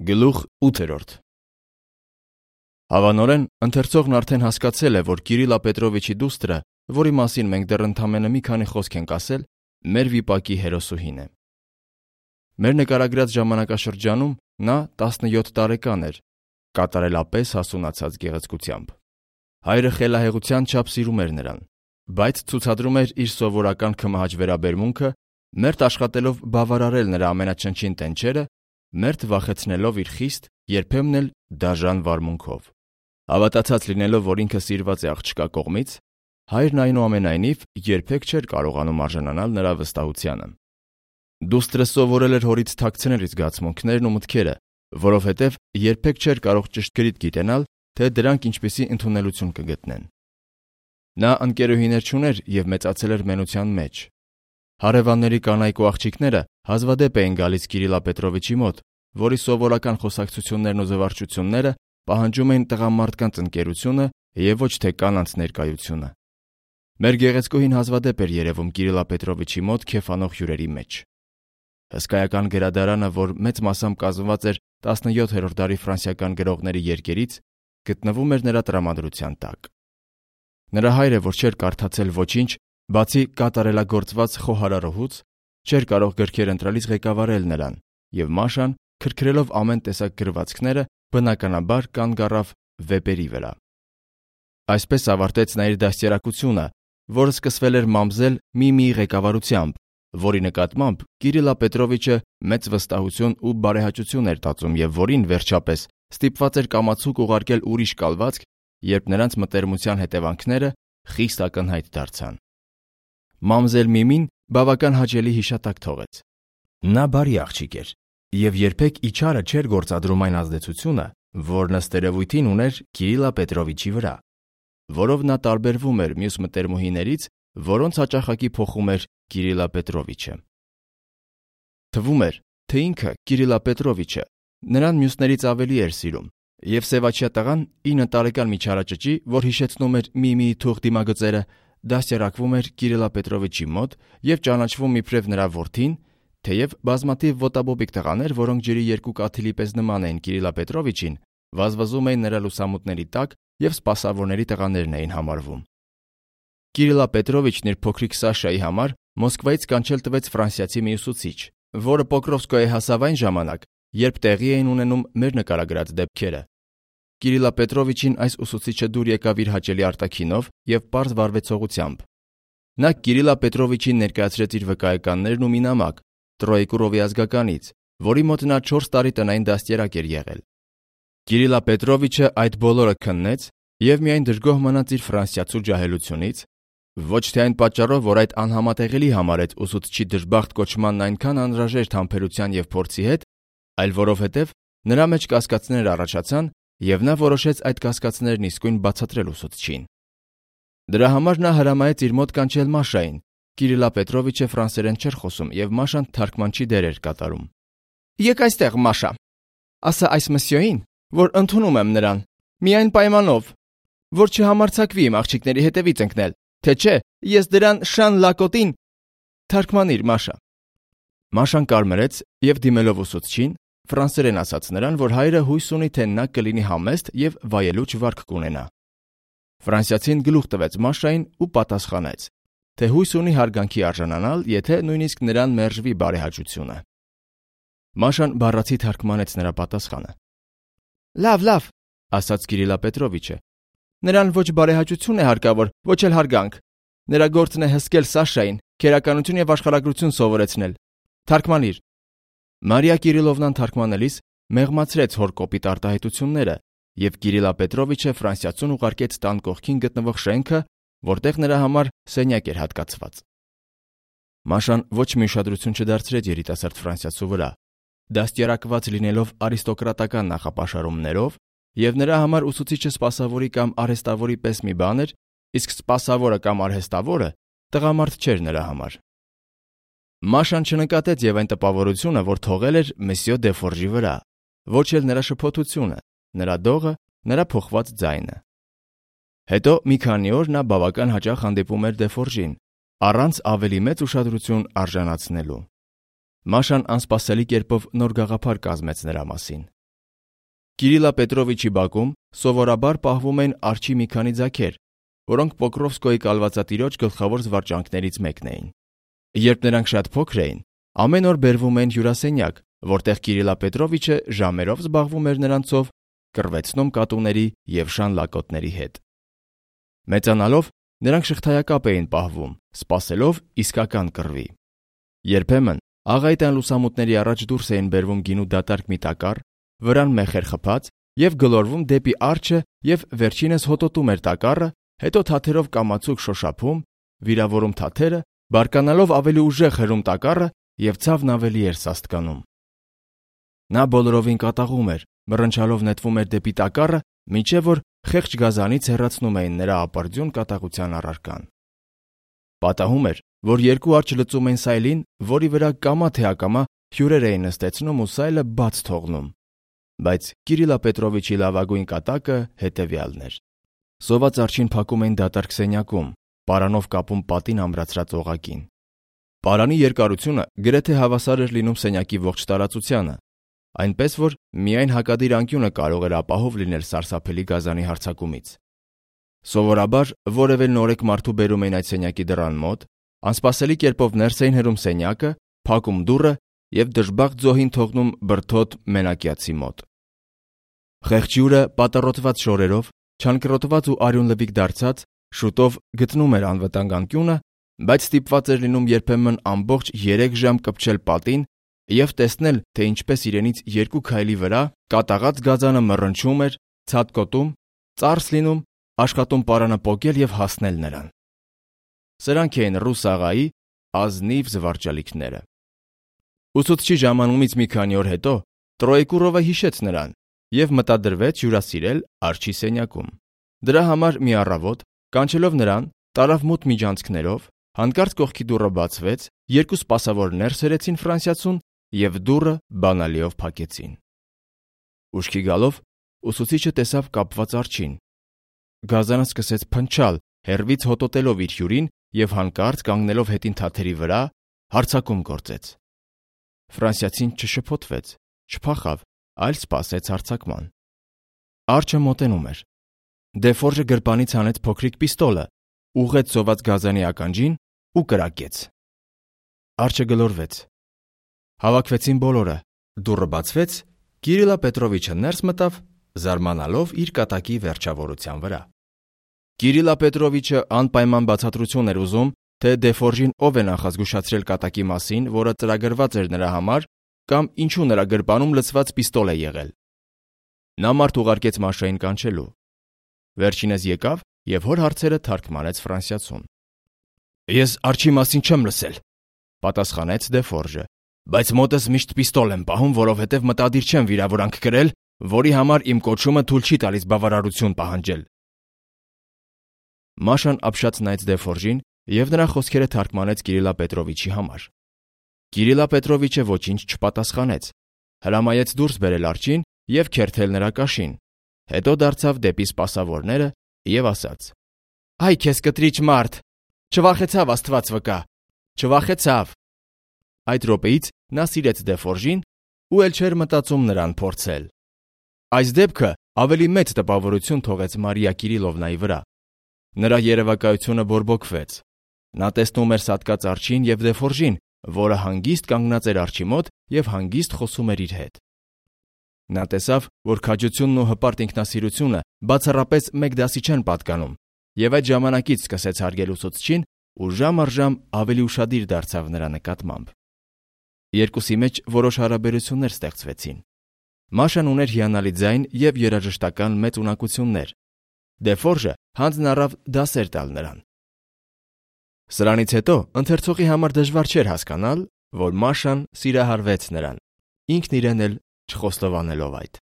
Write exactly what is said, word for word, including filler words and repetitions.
Գլուխ ութ. Հավանորեն, ընթերցողն արդեն հասկացել է, որ Կիրիլա Պետրովիչի դուստրը, որի մասին մենք դեռ ընդամենը մի քանի խոսք ենք ասել, մեր վիպակի հերոսուհին է։ Մեր նկարագրած ժամանակաշրջանում նա տասնյոթ տարեկան էր, կատարելապես հասունացած գեղեցկությամբ։ Հայրը խելահեղության չափ սիրում էր նրան, բայց ցուցադրում էր իր սովորական քմահաճ վերաբերմունքը, մերթ աշխատելով բավարարել նրա ամենաչնչին տենչերը, մերթ վախեցնելով իր խիստ, երբեմն էլ դաժան վարմունքով։ Հավատացած լինելով, որ ինքը սիրված է աղջկա կողմից, հայրն այնուամենայնիվ երբեք չէր կարողանում արժանանալ նրա վստահությանը։ Դուստրը սովորել էր հորից թաքցնել իր զգացմունքներն ու մտքերը, որովհետև երբեք չէր կարող ճշգրիտ գիտենալ, թե դրանք ինչպիսի ընդունելություն կգտնեն։ Նա ընկերուհիներ չուներ և մեծացել էր մենության մեջ։ Հարևանների կանայք ու աղջիկները հազվադեպ էին գալիս Կիրիլա Պետրովիչի մոտ, որի սովորական խոսակցություններն ու զվարճությունները պահանջում էին տղամարդկանց ընկերությունը և ոչ թե կանանց ներկայությունը։ Մեր գեղեցկուհին հազվադեպ էր երևում Կիրիլա Պետրովիչի մոտ քեֆանող հյուրերի մեջ։ Հսկայական գրադարանը, որ մեծ մասամբ կազմված էր տասնյոթերորդ դարի ֆրանսիական գրողների երկերից, գտնվում էր նրա տրամադրության տակ։ Նրա հայրը, որ չէր կարդացել ոչինչ, բացի կատարելագործված խոհարարուհուց, չէր կարող գրքեր ընտրելիս ղեկավարել նրան, և Մաշան, քրքրելով ամեն տեսակ գրվածքները, բնականաբար կանգ առավ վեպերի վրա։ Այսպես ավարտեց նա իր դաստիարակությունը, որը սկսվել էր մամզել Միմիի ղեկավարությամբ, որի նկատմամբ Կիրիլա Պետրովիչը մեծ վստահություն ու բարեհաճություն էր տածում և որին, վերջապես, ստիպված էր կամացուկ ուղարկել ուրիշ կալվածք, երբ նրանց մտերմության հետևանքները խիստ ակնհայտ դարձան։ Մամզել Միմին բավական հաճելի հիշատակ թողեց։ Նա բարի աղջիկ էր և երբեք իչարը չէր գործադրում այն ազդեցությունը, որն ըստ երևույթին ուներ Կիրիլա Պետրովիչի վրա, որով նա տարբերվում էր մյուս մտերմուհիներից, որոնց հաճախակի փոխում էր Կիրիլա Պետրովիչը։ Թվում էր, թե ինքը Կիրիլա Պետրովիչը նրան մյուսներից ավելի էր սիրում, և սևաչյա տղան ինը տարեկան միջարաճճի, որ հիշեցնում էր Միմիի թուղթ դիմագծերը, դաստիարակվում էր Կիրիլա Պետրովիչի մոտ և ճանաչվում իբրև նրա որդին, թեև բազմաթիվ ոտաբոբիկ տղաներ, որոնք ջրի երկու կաթիլի պես նման էին Կիրիլա Պետրովիչին, վազվզում էին նրա լուսամուտների տակ և սպասավորների տղաներն էին համարվում։ Կիրիլա Պետրովիչն իր փոքրիկ Սաշայի համար Մոսկվայից կանչել տվեց ֆրանսիացի մի ուսուցիչ, որը Պոկրովսկոյե հասավ այն ժամանակ, երբ տեղի էին ունենում մեր նկարագրած դեպքերը։ Կիրիլա Պետրովիչին այս ուսուցիչը դուր եկավ իր հաճելի արտաքինով և պարզ վարվեցողությամբ։ Նա Կիրիլա Պետրովիչին ներկայացրեց իր վկայականներն ու մի նամակ Տրոեկուրովի ազգականից, որի մոտ նա չորս տարի տնային դաստիարակ էր եղել։ Կիրիլա Պետրովիչը այդ բոլորը քննեց և միայն դժգոհ մնաց իր ֆրանսիացու ջահելությունից, ոչ թե այն պատճառով, որ այդ անհամատեղելի համարեց ուսուցչի դժբախտ կոչմանն այնքան անհրաժեշտ համբերության և փորձի հետ, այլ որովհետև նրա մեջ կասկածներ առաջացան և նա որոշեց այդ կասկածներն իսկույն բացատրել ուսուցչին։ Դրա համար նա հրամայեց իր մոտ կանչել Մաշային։ Կիրիլա Պետրովիչը ֆրանսերեն չէր խոսում և Մաշան թարգմանչի դեր էր կատարում։ «Եկ այստեղ, Մաշա, ասա այս մսյոին, որ ընդունում եմ նրան, միայն պայմանով, որ չհամարձակվի իմ աղջիկների հետևից ընկնել, թե չէ ես դրան շան լակոտին թարգմանիր, Մաշա»։ Մաշան կարմրեց և դիմելով ուսուցչին, ֆրանսերեն ասաց նրան, որ հայրը հույս ունի, թե նա կլինի համեստ և վայելուչ վարք կունենա։ Ֆրանսիացին գլուխ տվեց Մաշային ու պատասխանեց, թե հույս ունի հարգանքի արժանանալ, եթե նույնիսկ նրան մերժվի բարեհաճությունը։ Մաշան բառացի թարգմանեց նրա պատասխանը։ «Լավ, լավ», ասաց Կիրիլա Պետրովիչը, «նրան ոչ բարեհաճություն է հարկավոր, ոչ էլ հարգանք։ Նրա գործն է հսկել Սաշային, քերականություն և աշխարհագրություն սովորեցնել։ Թարգմանիր»։ Մարիա Կիրիլովնան թարգմանելիս մեղմացրեց հոր կոպիտ արտահայտությունները, և Կիրիլա Պետրովիչը ֆրանսիացուն ուղարկեց տան կողքին գտնվող շենքը, որտեղ նրա համար սենյակ էր հատկացված։ Մաշան ոչ մի ուշադրություն չդարձրեց երիտասարդ ֆրանսիացու վրա, դաստիարակված լինելով արիստոկրատական նախապաշարումներով, և նրա համար ուսուցիչը սպասավորի կամ արհեստավորի պես մի բան էր, իսկ սպասավորը կամ արհեստավորը տղամարդ չէր նրա համար։ Մաշան չնկատեց և այն տպավորությունը, որ թողել էր Մսյո Դեֆորժի վրա, ոչ էլ նրա շփոթությունը, նրա դողը, նրա փոխված ձայնը։ Հետո մի քանի օր նա բավական հաճախ հանդիպում էր Դեֆորժին, առանց ավելի մեծ ուշադրություն արժանացնելու։ Մաշան անսպասելի կերպով նոր գաղափար կազմեց նրա մասին։ Կիրիլա Պետրովիչի բակում սովորաբար պահվում էին արջի մի քանի ձագեր, որոնք Պոկրովսկոյի կալվածատիրոջ գլխավոր զվարճանքներից մեկն էին։ Երբ նրանք շատ փոքր էին, ամեն օր բերվում էին հյուրասենյակ, որտեղ Կիրիլա Պետրովիչը ժամերով զբաղվում էր նրանցով, կռվեցնում կատուների և շան լակոտների հետ։ Մեծանալով նրանք շղթայակապ էին պահվում, սպասելով իսկական կռվի։ Երբեմն աղայտան լուսամուտների առաջ դուրս էին բերվում գինու դատարկ մի տակառ, վրան մեխեր խփած և գլորվում դեպի արջը և վերջինս հոտոտում էր տակառը, հետո թաթերով կամացուկ շոշափում, վիրավորում թաթերը, բարկանալով ավելի ուժեղ հրում տակառը և ցավն ավելի էր սաստկանում։ Նա բոլորովին կատաղում էր, մռնչալով նետվում էր դեպի տակառը, մինչև որ խեղճ գազանից հեռացնում էին նրա ապարդյուն կատաղության առարկան։ Պատահում էր, որ երկու արջը լծում էին սայլին, որի վրա կամա թե ակամա հյուրեր էին նստեցնում ու սայլը բաց թողնում։ Բայց Կիրիլա Պետրովիչի լավագույն կատակը հետևյալն էր. սոված արջին փակում էին դատարկ սենյակում, պարանով կապում պատին ամրացրած օղակին։ Պարանի երկարությունը գրեթե հավասար էր լինում սենյակի ողջ տարածությանը, այնպես որ միայն հակադիր անկյունը կարող էր ապահով լինել սարսափելի գազանի հարձակումից։ Սովորաբար որևէ նորեկ մարդու բերում էին այդ սենյակի դռան մոտ, անսպասելի կերպով ներս էին հրում սենյակը, փակում դուռը և դժբախտ զոհին թողնում բրդոտ մենակյացի մոտ։ Խեղճ հյուրը պատառոտված շորերով, չանկռոտված ու արյունլվիկ դարձած, շուտով գտնում էր անվտանգ անկյունը, բայց ստիպված էր լինում երբեմն ամբողջ երեք ժամ կպչել պատին և տեսնել, թե ինչպես իրենից երկու քայլի վրա կատաղած գազանը մռնչում էր, ցատկոտում, ծարս լինում, աշխատում պարանը պոկել և հասնել նրան։ Սրանք էին ռուս աղայի ազնիվ զվարճալիքները։ Ուսուցչի ժամանումից մի քանի օր հետո Տրոեկուրովը հիշեց նրան և մտադրվեց հյուրասիրել արջի սենյակում։ Դրա համար մի առավոտ, կանչելով նրան, տարավ մութ միջանցքներով, հանկարծ կողքի դուռը բացվեց, երկու սպասավոր ներս հրեցին ֆրանսիացուն և դուռը բանալիով փակեցին։ Ուշքի գալով ուսուցիչը տեսավ կապված արջին։ Գազանը սկսեց փնչալ, հեռվից հոտոտելով իր հյուրին և հանկարծ կանգնելով հետին թաթերի վրա, հարձակում գործեց։ Ֆրանսիացին չշփոթվեց, չփախավ, այլ սպասեց հարձակման։ Արջը մոտենում էր։ Դեֆորժը գրպանից հանեց փոքրիկ պիստոլը, ուղղեց սոված գազանի ականջին ու կրակեց։ Արջը գլորվեց։ Հավաքվեցին բոլորը, դուռը բացվեց, Կիրիլա Պետրովիչը ներս մտավ, զարմանալով իր կատակի վերջավորության վրա։ Կիրիլա Պետրովիչը անպայման բացատրություն էր ուզում, թե Դեֆորժին ով է նախազգուշացրել կատակի մասին, որը ծրագրված էր նրա համար, կամ ինչու նրա գրպանում լցված պիստոլ է եղել։ Նա մարդ ուղարկեց Մաշային կանչելու։ Վերջինս եկավ և հոր հարցերը թարգմանեց ֆրանսիացուն։ «Ես արջի մասին չեմ լսել», պատասխանեց Դեֆորժը, «բայց մոտս միշտ պիստոլ եմ պահում, որովհետև մտադիր չեմ վիրավորանք կրել, որի համար իմ կոչումը թույլ չի տալիս բավարարություն պահանջել»։ Մաշան ապշած նայեց Դեֆորժին և նրա խոսքերը թարգմանեց Կիրիլա Պետրովիչի համար։ Կիրիլա Պետրովիչը ոչինչ չպատասխանեց, հրամայեց դուրս բերել արջին և քերթել նրա կաշին, հետո դարձավ դեպի սպասավորները և ասաց. «Այ քեզ կտրիչ մարդ, չվախեցավ Աստված վկա, չվախեցավ»։ Այդ րոպեից նա սիրեց Դեֆորժին ու էլ չէր մտածում նրան փորձել։ Այս դեպքը ավելի մեծ տպավորություն թողեց Մարիա Կիրիլովնայի վրա։ Նրա երևակայությունը բորբոքվեց։ Նա տեսնում էր սատկած արջին և Դեֆորժին, որը հանգիստ կանգնած էր արջի մոտ և հանգիստ խոսում էր իր հետ։ Նա տեսավ, որ քաջությունն ու հպարտ ինքնասիրությունը բացառապես մեկ դասի չեն պատկանում, և այդ ժամանակից սկսեց հարգել ուսուցչին ու ժամ առ ժամ ավելի ուշադիր դարձավ նրա նկատմամբ։ Երկուսի մեջ որոշ հարաբերություններ ստեղծվեցին։ Մաշան ուներ հիանալի ձայն և երաժշտական մեծ ունակություններ։ Դեֆորժը հանձն առավ դասեր տալ նրան։ Սրանից հետո ընթերցողի համար դժվար չէր հասկանալ, որ Մաշան սիրահարվեց նրան, ինքն իրեն էլ չխոստովանելով այդ։